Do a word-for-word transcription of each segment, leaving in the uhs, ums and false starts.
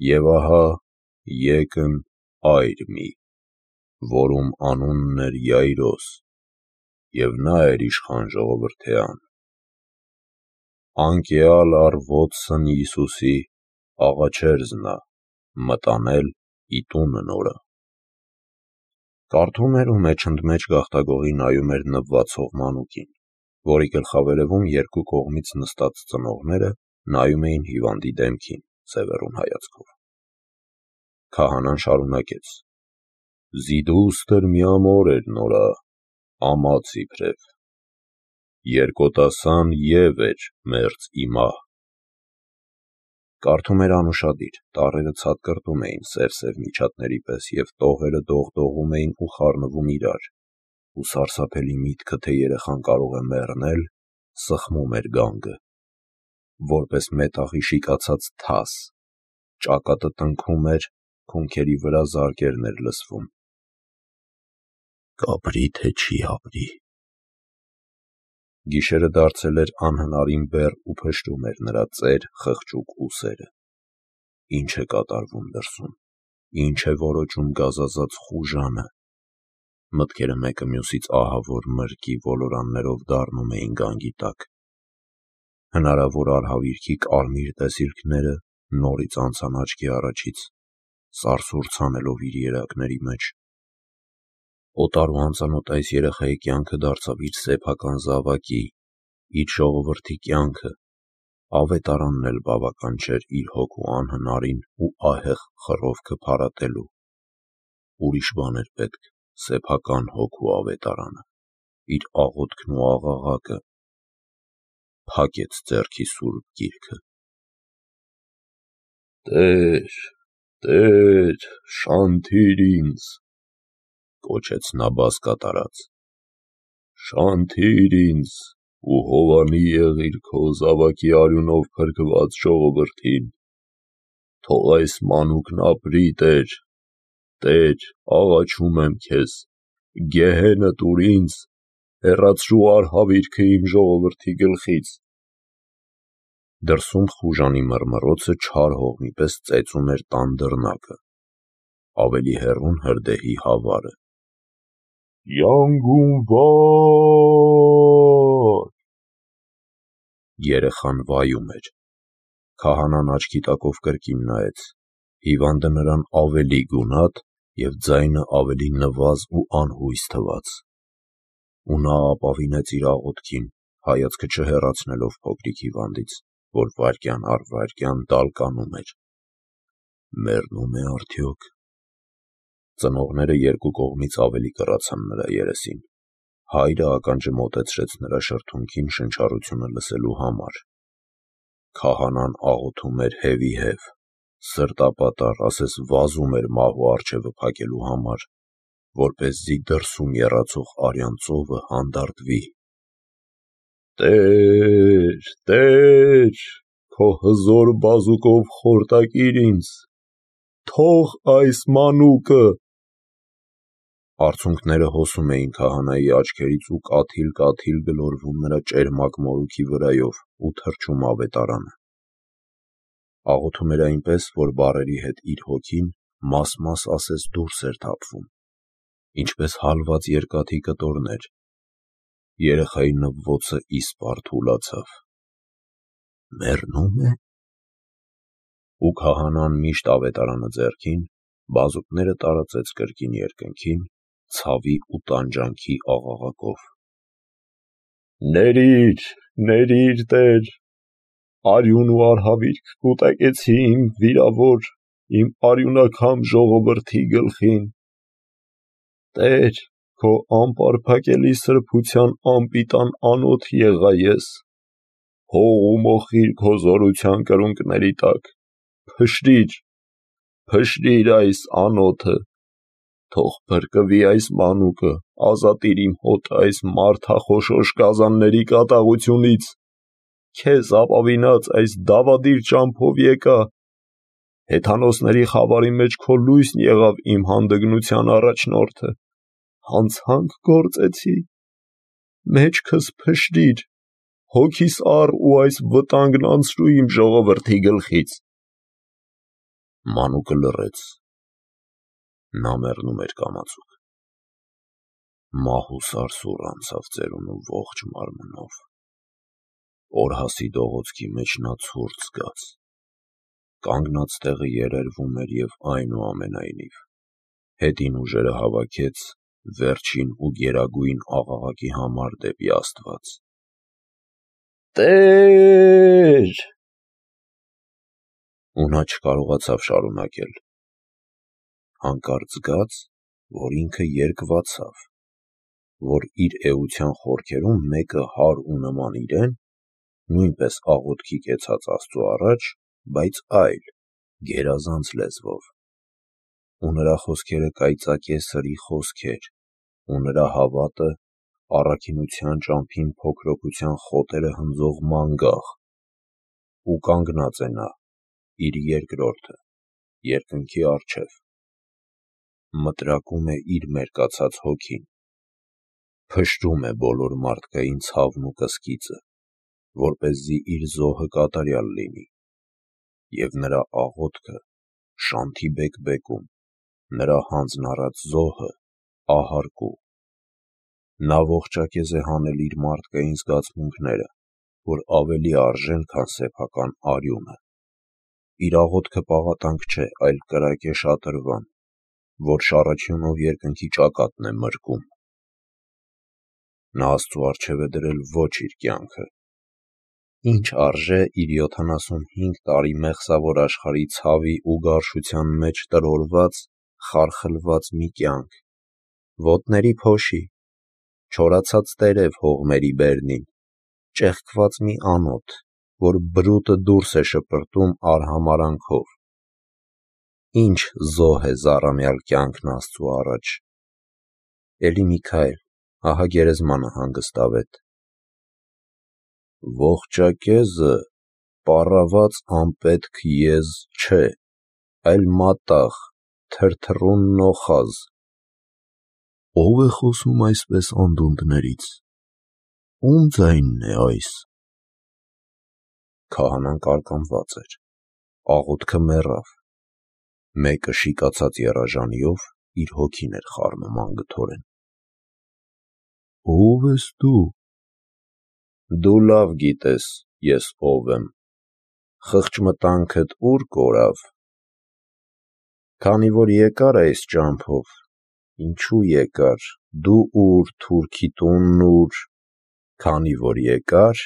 Եվ ահա եկն այր մի, որում անունն էր Յայրոս, և նա էր իշխան ժողովրդեան։ Անկեալ առ ոտսն Յիսուսի աղաչեր զնա, մտանել ի տունը նորը։ Կարդում էր ու մեջընդմեջ գաղտագողի նայում էր նվվածող մանուկին, որի գլխավերևում երկու կողմից նստած ծնողները նայում էին հիվանդի դեմքին սևեռուն հայացքով։ Քահանան շարունակեց. «Զիդուստր միամոր էր նորա, ամաց իբրև, երկոտասան և էր մերձ իմահ»։ Կարդում էր անուշադիր, տառերը ցատկրտում էին սև-սև միջատների պես և տողերը դողդողում էին ու խառնվում իրար, ու սարսափելի միտքը, թե երեխան կարող է մեռնել, սխմում էր գանգը, որպես մետաղի շիկացած թաս, ճակատը տնքում էր, քունքերի վրա զարկերն էր լսվում։ «Կապրի, թե չի ապրի»։ Գիշերը դարձել էր անհնարին բեռ ու փշրում էր նրա ծեր, խղճուկ ուսերը։ Ի՞նչ է կատարվում դրսում, ի՞նչ է որոճում գազազած խուժանը։ Մտքերը մեկը մյուսից ահավոր մրգի ոլորաններով դառնում էին գանգի տակ։ Հնարավոր արհավիրքի կարմիր տեսիլքները նորից անցան աչքի առաջից, սարսուռ ցանելով իր երակների մեջ։ Օտար ու անծանոթ այս երեխայի կյանքը դարձավ իր սեփական զավակի, իր ժողովրդի կյանքը, ավետարանն էլ բավական չէր իր հոգու անհնարին ու ահեղ խռովքը փարատելու։ Ուրիշ բան էր պետք, սեփական հոգու ավետարանը, իր աղոթքն ու աղաղակը։ Փակեց ձեռքի սուրբ գիրքը։ «Տե՛ր, Տե՛ր, շանթիր ինձ», կոչեց նա բաս կատարած, «շանթիր ինձ ու հովանի եղիր քո զավակի արյունով փրկված ժողովրդին։ Թող այս մանուկն ապրի, Տեր, Տեր, աղաչում եմ քեզ, գեհենը տուր ինձ, հեռացրու արհավիրքը իմ ժողովրդի գլխից»։ Դրսում խուժանի մռմռոցը չար հողմի պես ծեծում էր տան դռնակը, ավելի հեռուն հրդեհի հավարը։ «Յանգուն վա՜յ»։ Երեխան վայում էր։ Քահանան աչքի տակով կրկին նայեց։ Հիվանդը նրան ավելի գունատ և ձայնը ավելի նվազ ու անհույս թվաց։ Ու նա ապավինեց իր աղոթքին, հայացքը չհեռացնելով փոքրիկ հիվանդից, որ վայրկյան առ վայրկյան տալկանում էր։ Մեռնո՞ւմ է արդյոք։ Ծնողները երկու կողմից ավելի կռացան նրա երեսին։ Հայրը ականջը մոտեցրեց նրա շրթունքին շնչառությունը լսելու համար։ Քահանան աղոթում էր հևիհև, սրտապատառ, ասես վազում էր մահու առջևը փակելու համար, որպեսզի դրսում եռացող արյան ծովը հանդարտվի։ «Տե՛ր, Տե՛ր, քո հզոր բազուկով խորտակիր ինձ, թող այս մանուկը»։ Արցունքները հոսում էին քահանայի աչքերից ու կաթիլ-կաթիլ գլորվում նրա ճերմակ մորուքի վրայով ու թռչում ավետարանը։ Աղոթում էր այնպես, որ բառերի հետ իր հոգին մաս-մաս ասես դուրս էր թափվում, ինչպես հալված երկաթի կտորներ։ Երեխայի նվոցը իսպառ թուլացավ։ Մեռնո՞ւմ է։ Ու քահանան միշտ ավետարանը ձեռքին, բազուկները տարածեց կրկին երկնքին, ցավի ու տանջանքի աղաղակով։ «Ների՛ր, ների՛ր, Տեր, արյուն ու արհավիրք կուտակեցի իմ վիրավոր, իմ արյունաքամ ժողովրդի գլխին։ Տեր, քո անպարփակելի սրբության անպիտան անոթ եղա ես, հող ու մոխիր քո զորության կրունկների տակ, փշրի՛ր, փշրի՛ր այս անոթը, թող փրկվի այս մանուկը, ազատիր իմ հոտը այս մարդախոշոշ գազանների կատաղությունից, քեզ ապավինած այս դավադիր ճամփով եկա, հեթանոսների խավարի մեջ քո լույսն եղավ իմ հանդգնության առաջնորդը, հանցանք գործեցի, մեջքս փշրիր, հոգիս առ ու այս վտանգն անցրու իմ ժողովրդի գլխից»։ Մանուկը լռեց. նա մեռնում էր կամացուկ։ Մահ ու սարսուռ անցավ ծերունու ողջ մարմնով։ Օրհասի դողոցքի մեջ նա ցուրտ զգաց։ Կանգնած տեղը երերվում էր և այնուամենայնիվ հետին ուժերը հավաքեց վերջին ու գերագույն աղաղակի համար դեպի Աստված. «Տե՛ր»։ Ու նա չկարողացավ շարունակել։ Հանկարծ զգաց, որ ինքը երկվացավ, որ իր էության խորքերում մեկը հար ու նման իրեն, նույնպես աղոթքի կեցած Աստծու առաջ, բայց այլ, գերազանց լեզվով, ու նրա խոսքերը կայծակե սրի խոսքեր, ու նրա հավատը առաքինության ճամփին փոքրոցության խոտերը հնձող մանգաղ, ու կանգնած է նա, իր երկրորդը, երկնքի առջև, մտրակում է իր մերկացած հոգին, փշրում է բոլոր մարդկային ցավն ու կսկիծը, որպեսզի իր զոհը կատարյալ լինի, և նրա աղոթքը շանթի բեկբեկում, նրա հանձն առած զոհը ահարկու։ Նա ողջակեզ է հանել իր մարդկային զգացմունքները, որ ավելի արժեն, քան սեփական արյունը։ Իր աղոթքը պաղատանք չէ, այլ կրակ է շատրվան, որ շառաչյունով երկնքի ճակատն է մրկում։ Նա Աստծու առջև է դրել ոչ իր կյանքը։ Ինչ արժե իր յոթանասունհինգ տարի մեղսավոր աշխարհի ցավի ու գարշության մեջ տրորված, խարխլված մի կյանք, ոտների փոշի, չորացած տերև հողմերի բերնին, ճեղքված մի անոթ, որ բրուտը դուրս է շպրտում արհամարհանքով։ Ինչ զոհ է զառամյալ կյանքն Աստծու առաջ։ Էլի մի քայլ, ահա գերեզմանը հանգստավետ։ Ողջակեզը պառաված անպետք եզ չէ, այլ մատաղ, թրթռուն նոխազ։ Ո՞վ է խոսում այսպես անդունդներից, ո՞ւմ ձայնն է այս։ Քահանան կարկամված էր, աղոթքը մեռավ, մեկը շիկացած եռաժանիով իր հոգին էր խառնում անգթորեն։ Ո՞վ ես դու։ Դու լավ գիտես ես ով եմ, խղճմտանքդ ուր կորավ։ Քանի որ եկար այս ճամփով, ինչու եկար, դու ուր, թուրքի տունն ուր, քանի որ եկար,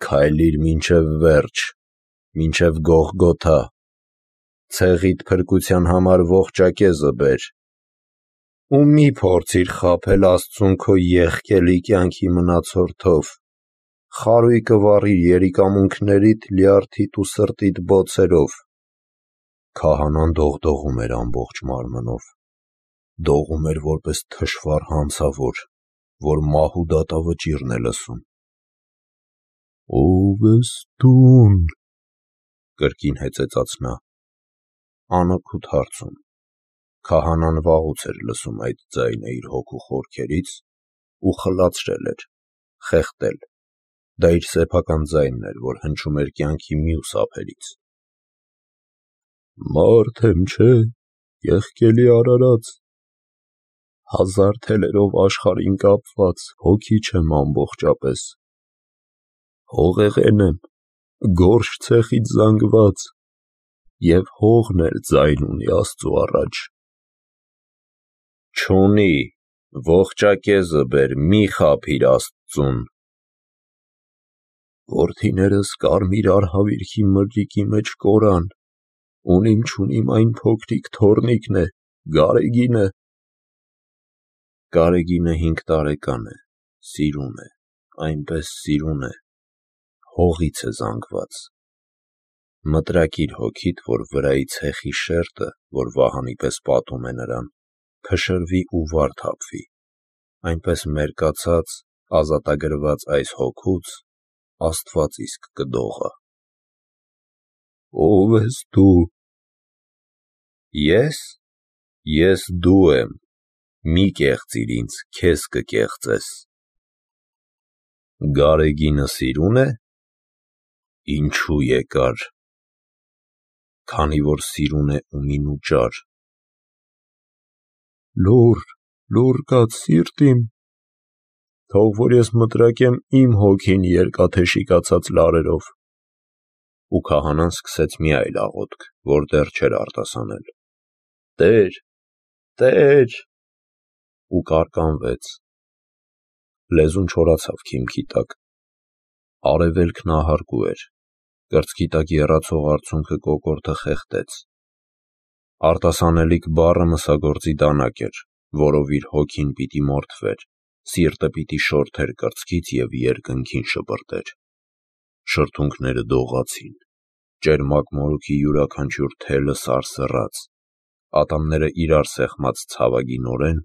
քայլիր մինչև վերջ, մինչև Գողգոթա, ցեղիդ փրկության համար ողջակեզը բեր, ու մի փորձիր խաբել Աստծուն քո եղկելի կյանքի մնացորդով, խարույկը վառիր երիկամունքներիդ, լյարդիդ ու սրտիդ բոցերով։ Քահանան դողդողում էր ամբողջ մարմնով, դողում էր որպես թշվառ հանցավոր, որ մահու դատավճիռն է լսում։ Ո՞վ ես դուն, կրկին հեծեծաց նա։ Անօգուտ հարցում։ Քահանան վաղուց էր լսում այդ ձայնը իր հոգու խորքերից ու խլացրել էր, խեղդել, դա իր սեփական ձայնն էր, որ հնչում էր կյանքի մյուս ափերից։ Մարդ եմ, չէ, եղկելի արարած, հազար թելերով աշխարհին կապված, հոգի չեմ ամբողջապես, հողեղեն եմ, գորշ ցեխից զանգված, և հողն էլ ձայն ունի Աստծու առաջ։ Չունի, ողջակեզը բեր, մի խաբիր Աստծուն։ Որդիներս կարմիր արհավիրքի մրրիկի մեջ կորան, ունիմ-չունիմ այն փոքրիկ թոռնիկն է, Գարեգինը։ Գարեգինը հինգ տարեկան է, սիրուն է, այնպես սիրուն է, հողից է զանգված։ Մտրակիր հոգիդ, որ վրայի ցեխի շերտը, որ վահանի պես պատում է նրան, փշրվի ու վար թափվի, այնպես մերկացած, ազատագրված այս հոգուց Աստված իսկ կդողա։ Ո՞վ ես դու։ Ես, ես դու եմ, մի կեղծիր ինձ, քեզ կկեղծես։ Գարեգինը սիրուն է։ Ինչու եկար։ քանի որ սիրուն է ու մինուճար։ Լուռ, լուռ կաց սիրտ իմ, թող որ ես մտրակեմ իմ հոգին երկաթե շիկացած լարերով։ Ու քահանան սկսեց մի այլ աղոթք, որ դեռ չէր արտասանել. Տեր, Տեր, ու կարկանվեց։ Լեզուն չորացավ քիմքի տակ։ Արևելքն ահարկու էր, կրծքի տակ եռացող արցունքը կոկորդը խեղդեց։ Արտասանելիք բառը մսագործի դանակ էր, որով իր հոգին պիտի մորթվեր, սիրտը պիտի շորթեր կրծքից և երկնքին շպրտեր։ Շրթունքները դողացին, ճերմակ մորուքի յուրաքանչյուր թելը սարսռաց, ատամները իրար սեղմած ցավագինորեն,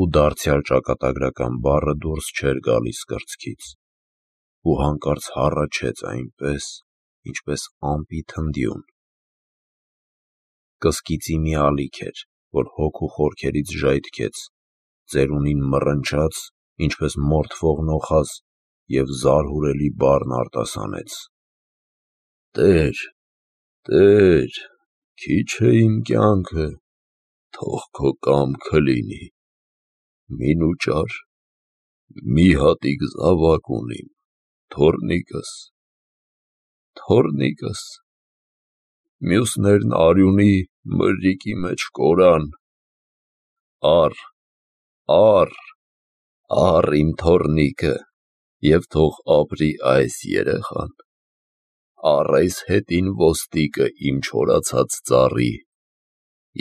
ու դարձյալ ճակատագրական բառը դուրս չէր գալիս կրծքից, ու հանկարծ հառաչեց այնպես, ինչպես ամպի թնդյուն։ Կսկիծի մի ալիք էր, որ հոգու խորքերից ժայթքեց, ծերունին մռնչաց, ինչպես մորթվող նոխազ, և զարհուրելի բառն արտասանեց. Տեր, Տեր, քիչ է իմ կյանքը, թող քո կամքը լինի, մինուճար, մի հատիկ զավակ ունիմ, թոռնիկս, թոռնիկս, մյուսներն արյունի մրրիկի մեջ կորան, առ, առ, առ իմ թոռնիկը, և թող ապրի այս երեխան, առ այս հետին ոստիկը իմ չորացած ծառի,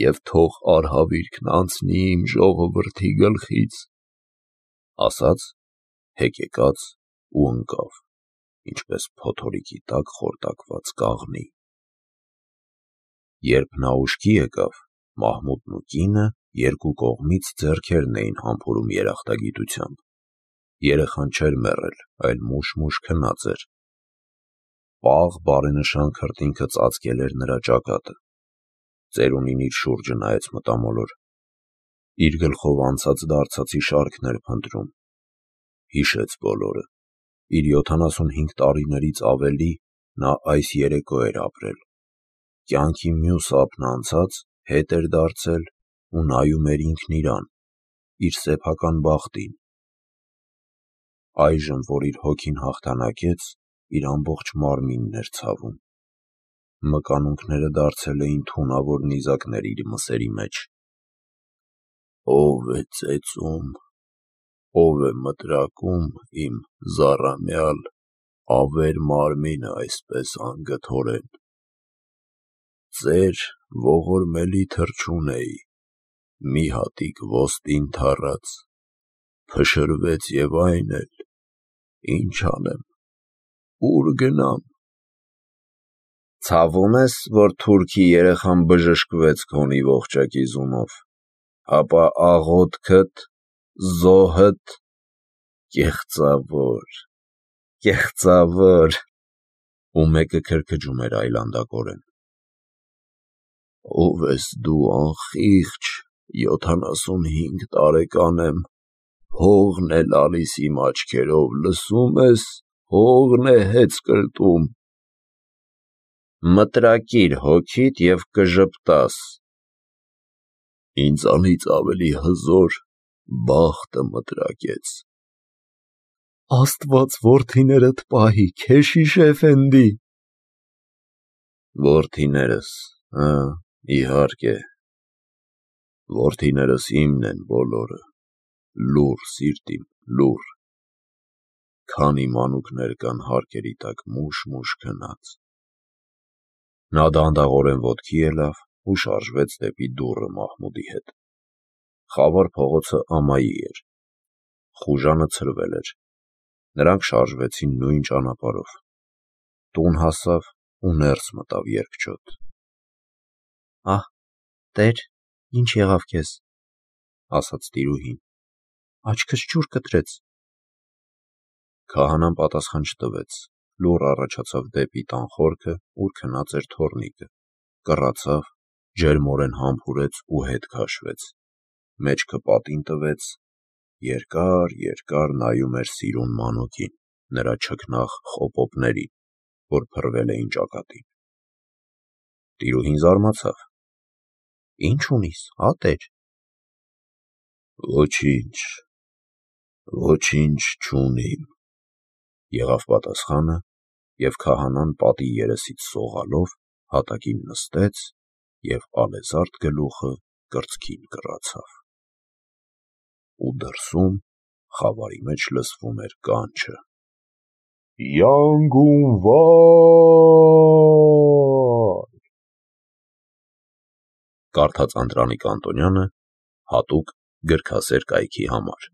և թող արհավիրքն անցնի իմ ժողովրդի գլխից, ասաց, հեկեկաց ու ընկավ, ինչպես փոթորիկի տակ խորտակված կաղնի։ Երբ նա ուշքի եկավ, Մահմուդն ու կինը երկու կողմից ձեռքերն էին համբուրում երախտագիտությամբ։ Երեխան չէր մեռել, այլ մուշ-մուշ քնած էր։ Պաղ բարենշան քրտինքը ծածկել էր նրա ճակատը։ Ծերունին իր շուրջը նայեց մտամոլոր։ Իր գլխով անցած-դարձածի շարքն էր փնտրում։ Հիշեց բոլորը։ Իր յոթանասունհինգ տարիներից ավելի նա այս երեկո էր ապրել։ Կյանքի մյուս ափն անցած, հետ էր դարձել ու նայում էր ինքն իրան, իր սեփական բախտին։ Այժմ, որ իր հոգին հաղթանակեց, իր ամբողջ մարմինն էր ցավում։ Մկանունքները դարձել էին թունավոր նիզակներ իր մսերի մեջ։ Ո՞վ է ծեծում, ո՞վ է մտրակում իմ զառամյալ, ավեր մարմինը այսպես անգթորեն։ Ծեր ողորմելի թռչուն էի, մի հատիկ ոստ ընդառաց, փշրվեց և այն էլ, ինչ անեմ, ու՞ր գնամ։ Ցավում ես, որ թուրքի երեխան բժշկվեց քոնի ողջակիզունով, ապա աղոթքդ, զոհդ, կեղծավոր, կեղծավոր, ու մեկը քրքջում էր այլանդակորեն։ Ո՞վ ես դու, անխիղճ, յոթանասունհինգ տարեկան եմ, հողն է լալիս իմ աչքերով, լսում ես, հողն է հեծ կրտում։ Մտրակիր հոգիդ և կժպտաս։ Ինձանից ավելի հզոր բախտը մտրակեց։ Աստված որդիներդ պահի, Քեշիշ Էֆենդի։ Որդիներս, հը, իհարկե, որդիներս իմն են բոլորը, լուռ սիրտ իմ, լուռ, քանի մանուկներ կան հարկերի տակ մուշ-մուշ քնած։ Նա դանդաղորեն ոտքի ելավ ու շարժվեց դեպի դուռը Մահմուդի հետ։ Խավար փողոցը ամայի էր։ Խուժանը ցրվել էր։ Նրանք շարժվեցին նույն ճանապարհով։ Տուն հասավ ու ներս մտավ երկչոտ։ Ահ, Տեր, ինչ եղավ քեզ, ասաց տիրուհին, աչքս ջուր կտրեց։ Քահանան պատասխան չտվեց, լուռ առաջացավ դեպի տան խորքը, ուր քնած էր թոռնիկը, կռացավ, ջերմորեն համբուրեց ու հետ քաշվեց, մեջքը պատին տվեց, երկար-երկար նայում էր սիրուն մանուկին, նրա չքնաղ խոպոպներին, որ փռվել էին ճակատին։ Տիրուհին զարմացավ. Ինչ ունիս, ատեր։ Ոչինչ, ոչինչ չունիմ, եղավ պատասխանը, և քահանան պատի երեսից սողալով հատակին նստեց և ալեզարդ գլուխը կրծքին կռացավ։ Ու դրսում խավարի մեջ լսվում էր կանչը. Յանգունվա՜ր։ Կարդաց Անդրանիկ Անտոնյանը հատուկ գրքասեր կայքի համար։